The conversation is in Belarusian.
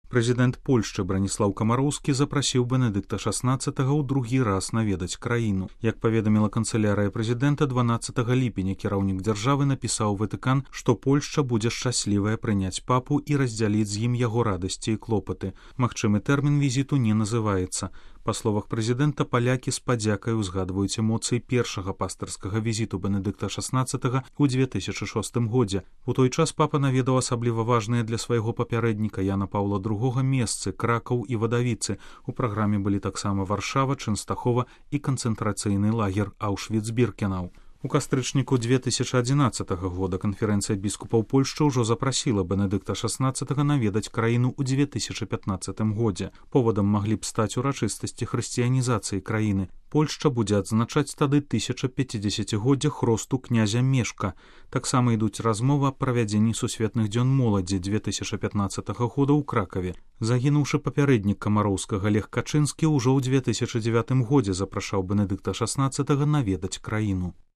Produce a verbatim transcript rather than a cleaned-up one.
Прэзідэнт Польшчы Браніслаў Камароўскі запрасіў Бенедыкта шаснаццатага ў другі раз наведаць краіну. Як паведаміла канцылярыя прэзідэнта, дванаццатага ліпеня кіраўнік дзяржавы напісаў Ватыкан, што Польшча будзе шчаслівая прыняць папу і раздзяліць з ім яго радасці і клопаты. Магчымы тэрмін візіту не называецца. Па словах прэзідэнта, палякі з падзякай узгадваюць эмоцыі першага пастырскага візіту Бенедыкта шаснаццатага ў две тысячы шостым годзе. У той час папа наведаў асабліва важныя для свайго папярэдніка Яна Паўла другога месцы, Кракаў і Вадавіцы. У праграме былі таксама Варшава, Чэнстахова і канцэнтрацыйны лагер Аўшвіц-Біркенаў. У кастрычніку две тысячы адзінаццатага года канферэнцыя біскупаў Польшчы ўжо запрасіла Бенедыкта шаснаццатага наведаць краіну ў две тысячы пятнаццатым годзе. Повадам маглі б стаць урачыстасці хрысціянізацыі краіны. Польшча будзе адзначаць тады тысяча пяцідзесяцігоддзя хросту князя Мешка. Таксама ідуць размовы аб правядзенні сусветных дзён моладзі две тысячы пятнаццатага года ў Кракаве. Загінуўшы папярэднік Камароўскага Лех Качынскі ўжо ў две тысячы дзевятым годзе запрашаў Бенедыкта шаснаццатага наведаць краіну.